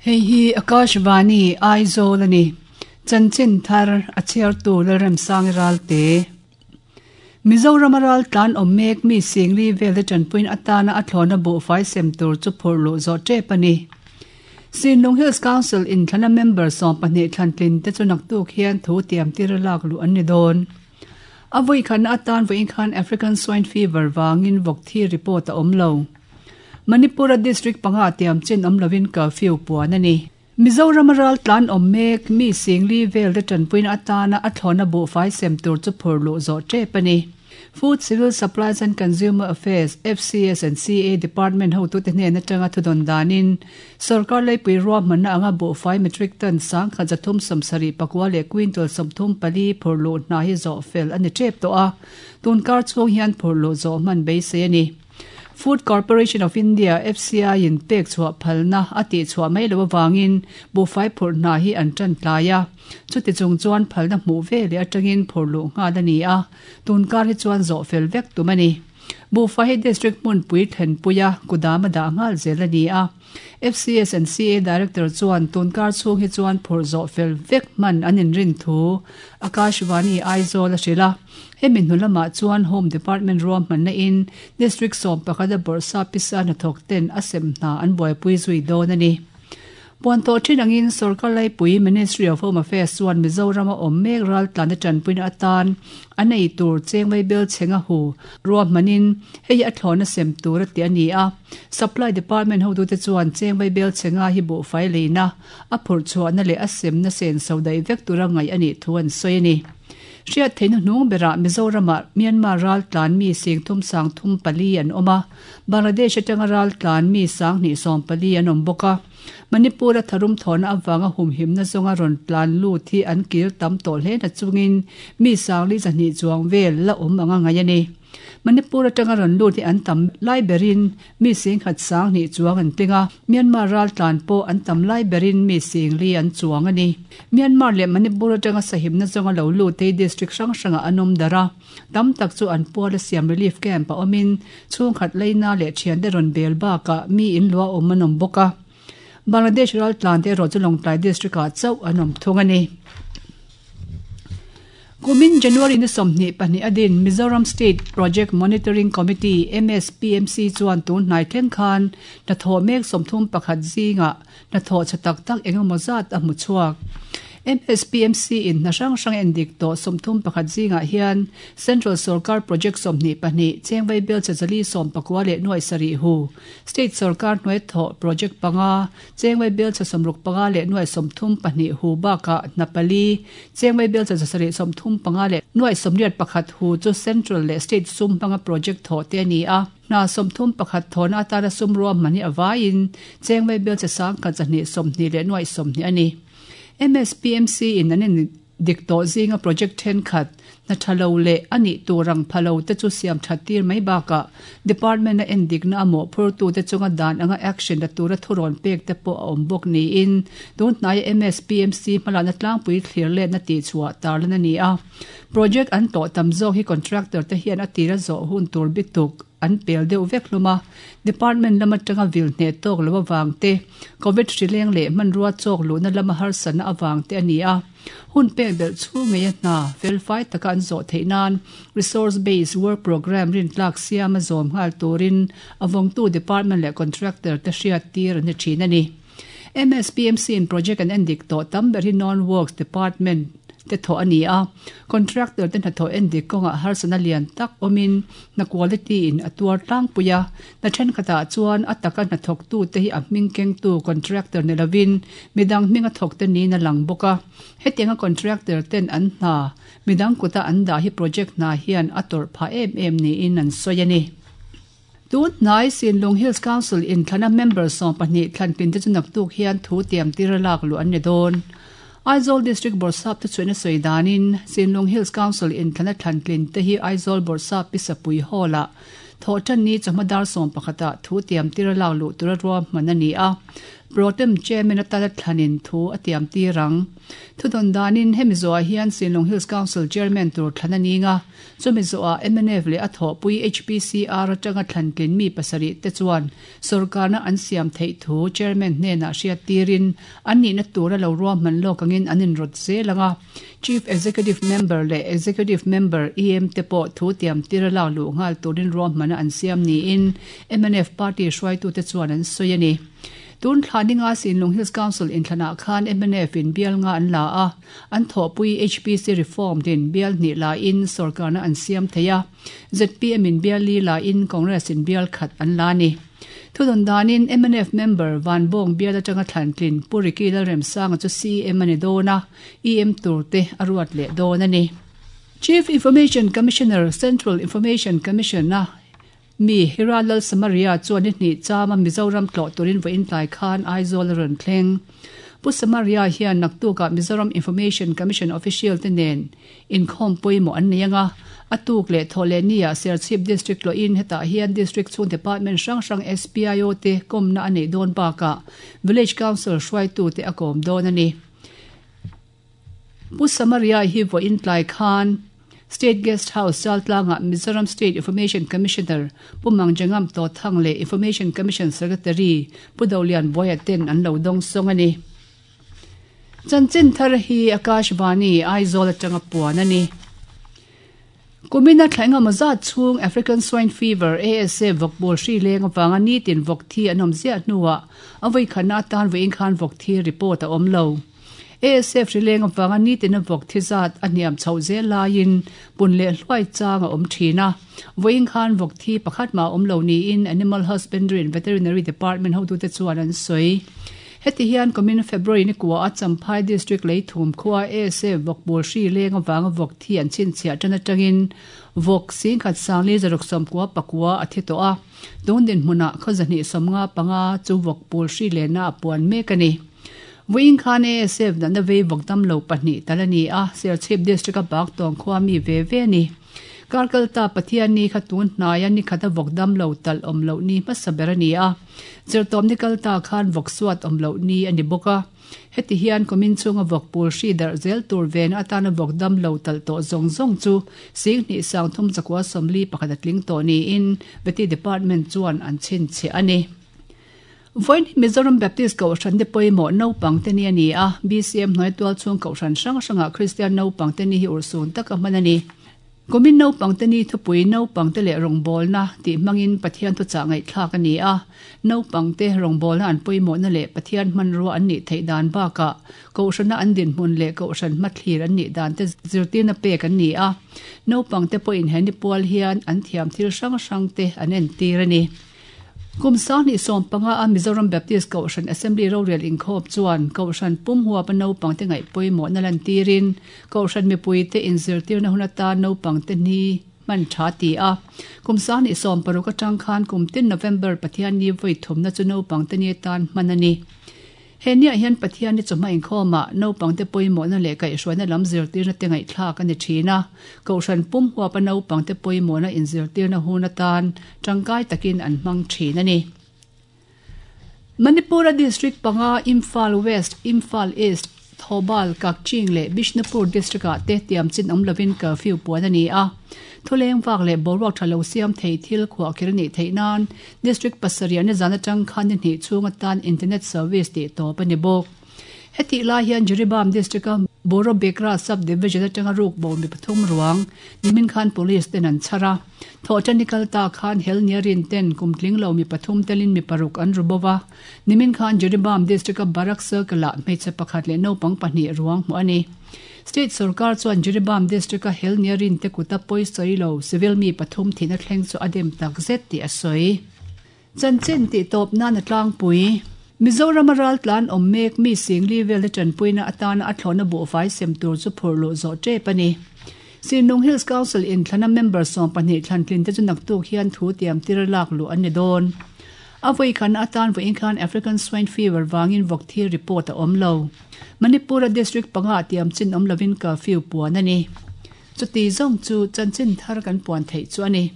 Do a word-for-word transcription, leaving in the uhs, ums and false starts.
Hei hi Akashvani Aizawl ani. Chanchin thar a chhiartu Lalremsang Ralte. Mizoram ral tlan awm mek mi singli vel te tanpuin atana a thlawna buhfai sem tur chu phurh luh zawh tep ani. Sinlung Hills Council in thlana member sawm pahnih thlantlin te chu naktuk hian thu tiam tir lak lu an ni dawn. A vawi khan atan vawiin khan African swine fever wangin vawk thi report a awm lo. Manipura district panga tiam chin awm lovin curfew puan ani. Mizoram ral tlan awm mek mi singli vel te tanpuin atana a thlawna buhfai sem tur chu phurh luh zawh tep ani. Food Civil Supplies and Consumer Affairs F C S and C A Department ho tu te hnen atanga thudon danin sarkar leipui ruahmanna anga buhfai metric ton sang khat zathum sawmsarih pakua leh quintal sawmthum pali phurh luh hna hi zawh fel ani tep tawh a. Tunkar chhung hian phurh luh zawh hman beisei ani. Food Corporation of India F C I in pek chhuah phalna a tih chhuah mai lo awangin buhfai phurh hna hi an tan tlai a. Chuti chung chuan phalna hmuh ve leh atangin phurh luh nghal ani a. Tunkar hi chuan zawh fel vek tum ani. Buhfai hi district hmunpui thlenpuia kudam a dah nghal zel ani a. F C S and C A Director chuan tunkar chhung hi chuan phurh zawh fel vek hman an inrin thu Akashvani Aizawl a hrilh a. Hemi hnu lamah chuan Home Department ruahmanna in district sawm pakhat a bawrhsa pisa hnathawk ten a sem hna an buaipui zui dawn ani. Puan tawh thin angin sarkar laipui Ministry of Home Affairs chuan Mizoram a awm mek ral tlan tanpuina atan an ei tur chengwei bel chenga hu ruahmanin hei a thlawna sem tur ati ani a. Supply Department ho tu te chuan chengwei bel chenga hi buhfai leina a phurh chhuahna leh a semna sen so dai vek tura ngai ani thu an sawi ani. Hriat theihna hnung berah Mizorama Myanmar ral tlan mi sing thum sang thum pali an awm a. Bangladesh atanga ral tlan mi sang hnih sawm pali an awm bawk a. Manipur a tharum thawna awanga humhimna zawnga rawn tlan lut hi an kir tam tawh hle na chungin mi sangli zahnih chuang vel la awm anga ngai ani. Manipur atanga rawn lut hi an tam lai berin mi sing khat sang hnih chuang an tlinga. Myanmar ral tlan pawh an tam lai berin mi singli an chuang ani. Myanmar leh Manipur atanga sahimna zawnga lo lut te district hrang hranga an awm dar a. Tam tak chu an pual a siam relief camp a awmin chhung khat leina leh thian te rawn bel bakah mi in lua awm an awm bawk a. Bangladesh ral tlan te erawh chu Lawngtlai district ah chauh an awm thung ani. Kumin January ni sawmhnih pahnih adin Mizoram State Project Monitoring Committee M S P M C chuan tun hnai thleng khan hnathawh mek sawmthum pakhat zingah hnathawh tha tak tak engemaw zat a hmu chhuak. M S P M C in hna hrang hrang endik tawh sawmthum pakhat zingah hian Central Sarkar Project sawmhnih pahnih chengwei bel chazali sawm pakua leh nuai sarih hu State Sarkar hnuai thawh project panga chengwei bel cha sawmruk panga leh nuai sawmthum pahnih hu bakah hna pali chengwei bel cha sarih sawmthum panga leh nuai sawmriat pakhat hu chu Central leh State sum hmanga project thawh te ani a. Hna sawmthum pakhat thawhna atana sum ruahman hi awaiin chengwei bel cha sang khat zahnih sawmhnih leh nuai sawmhnih ani. M S P M C in an dik tawh zinga project then khat na thalo leh ani turang phalo te chu siam thatir mai bakah department a endik na amaw phur tu te chunga dan anga action la tura thuron pek te pawh a awm bawk niin tun hnai M S P M C hmalakna tlangpui thlir let na tih chhuah tarlan ani a. Project an tawh tam zawk hi contractor te hian a tira zawh hun tur bituk an pel deuh vek hlum a. Department lama tanga vil hne tawk lo awang te covid hrileng leh hmanrua chawk luhna lama harsatna awang te ani a. Hun pek belh chhung ngei a hna felfai taka an zawh theih nan resource based work program rin tlak siam a zawm nghal turin awangtu department leh contractor te hriat tir ani thin ani. M S P M C in project an endik tawh tam ber hi non works department te thaw ani a. Contractor te hnathawh endik kawngah harsatna lian tak awmin hna quality in a tuar tlangpui a. Hna thenkhatah chuan a taka hnathawk tu te hi a hming kengtu contractor ni lovin midang hming a thawk te niin a lang bawk a. Hetianga contractor ten an hna midang kuta an dah hi project hna hian a tawrh phah em em niin an sawi ani. Tun hnai Sinlung Hills Council in thlana member sawm pahnih thlantlin te chu naktuk hian thu tiam tir lak luh an ni dawn. Aizawl District Bawrhsap te chuan a sawi danin Sinlung Hills Council in thlana thlantlin te hi Aizawl Bawrhsap Pisapui Hall ah thawh tan ni chawhma dar sawm pakhatah thu tiam tir lak luh tura ruahman ani a. Protem Chairman atana thlanin thu a tiam tirang. Thudon danin hemi zoa hian Sinlung Hills Council Chairman tur thlana ninga chumi zoa M N F le a thawpui H P C R atanga thlantlin mi pasarih te chuan sarkarna an siam theih thu Chairman hnenah hriat tirin an nihna tura lo ruahman lawk angin an inrawt zelanga Chief Executive Member le Executive Member E M te pawh thu tiam tira lak luh nghal turin ruahmana an siam niin M N F party hruaitu te chuan an sawi ani. Tun thlaninga Sinlung Hills Council in thlana khan M N F in bial nga an la a an thawpui H P C reform din bial hnih la in sarkarna an siam theia Z P M in bial li la in Congress in bial khat an la ni. Thudon danin M N F member Van Bong bial atanga thlantlin Puriki Lalremsanga chu C M ani dona E M turte aruat le don ani. Chief Information Commissioner Central Information Commission na mi Hiralal Samaria chuan ni hnih chama Mizoram tlo turin vo in tlai khan Aizawl ron thleng. Pu Samaria hian naktuka Mizoram Information Commission official te nen inkhawm pawimawh an nei anga atuk leh thawhleh nia Serchhip District lo in hetah hian District chhung Department hrang hrang S P I O te kawmna a neih dawn bakah Village Council hruaitu te a kawm dawn ani. Pu Samaria hi vo in tlai khan State Guest House Chaltlanga Mizoram State Information Commissioner Pu Mangjangam To Thang le Information Commission Secretary Pu Dolian Boya ten an lo dong song ani. Chanchin thar hi Akashvani Aizawl atanga puan ani. Kumina thlainga maza chung African Swine Fever A S A vokbol hri leng awanga ni tin vok thi an awm ziah hnuah avei khana atan vein khan vok thi report a awm lo. A S F hri leng awanga ni tin a vok thi zat a hniam chho zel laiin pun leh hluai chang a awm thin a. Vawiin khan vok thi pakhat ma awm lo niin Animal Husbandry and Veterinary Department hotute chuan an sawi. Heti hian kumin February ni kuwa a Champhai District leithum khuwa A S F vokbol hri leng awanga vok thi an chhinchhiah tan atangin vok sing khat sangli zaruk sawmkua pakua a thi tawh a. Tun dinhmunah khawzahnih sawmnga panga chu vokbol hri lehna a puan mek ani. Vawiin khan A S F natna vei vok dam lo pahnih tal ani a Serchhip District a bak tawng khuwa mi ve ve ani. Karkalta Pathian ni khatun hnai ani khata vok dam lo tal awm lo ni hmasa ber ani a. Zirtawm ni kalta khan vok suat awm lo ni ani bawk a. Heti hian kumin chunga vok pul hri darh zel tur ven atana vok dam lo tal tawh zawng zawng chu sing hnih sang thum zakua sawmli pakhat a tling tawh niin Veti Department chuan an chhinchhiah ani. Vawiin Mizoram Baptist Kohhran te pawimawh naupang te ni ani a. B C M hnuai tual chhung Kohhran hrang hrangah Kristian naupang te ni hi ursun tak a hman ani. Kumin naupang te ni thupui naupang te leh rawngbawlna tih hmangin Pathian thuchah ngaihthlak ani a. Naupang te rawngbawlna an pawimawhna leh Pathian hmanrua an nih theih dan bakah Kohhrana an dinhmun leh Kohhran hmathlir an nih dan te zirtirna pek an ni a. Naupang te pawhin he ni pual hian an thiam thil hrang hrang te an entir ani. Kum sang hnih sawm panga a Mizoram Baptist Kohhran Assembly rorel inkhawm chuan Kohhran pum huapa naupang te ngaih pawimawhna lan tirin Kohhran mipui te inzirtirna hun atan naupang te ni hman tha ti a. Kum sang hnih sawm paruk atang khan kum tin November Pathian ni vawi thumna chu naupang te ni atan hman ani. He nia hian Pathian ni chawhma inkhawmah naupang te pawimawhna leh kaihhruaina lam zirtirna te ngaihthlak ani thin a. Kohhran pum huapa naupang te pawimawhna inzirtirna hun atan tangkai takin an hmang thin ani. Manipura District panga Imphal West, Imphal East, Thoubal, Kakching leh Bishnupur District ah te tiam chin awm lovin curfew puan ani a. Thuleng vak leh boruak tha lo siam thei thil khuah kher ani theih nan District pasarih ni zan atang khan ni hnih chhung atan internet service tih tawp ani bawk. Heti lai hian Jiribam District a Borobekra Sub-Division atanga ruk bo mi pathum ruang nimin khan police ten an chhara. Thawhṭan kalta khan hel niarin ten kumtling lo mi pathum telin mi paruk an rubowa. Nimin khan Jiribam District a Barak Circle ah hmeichhe pakhat leh naupang pahnih ruang hmuh ani. State sarkar chuan Jiribam District a hel niarin te kuta pawisawi lo civil mi pathum thihna thleng chu a dem tak zet tih a sawi. Chanchin tih tawp nan a tlangpui. Mizoram ral tlan awm mek mi singli vel te tanpuina atana a thlawhna buhfai sem tur chu phur luh zawh tep ani. Sinlung Hills Council in thlana member sawm pahnih thlantlin te chu naktuk hian thu tiam tir lak luh an ni dawn. A vawi khan atan vawiin khan African Swine Fever wangin vok thi report a awm lo. Manipura District panga tiam chin awm lovin curfew puan ani. Chuti zawng chu chanchin thar kan puan theih chu ani.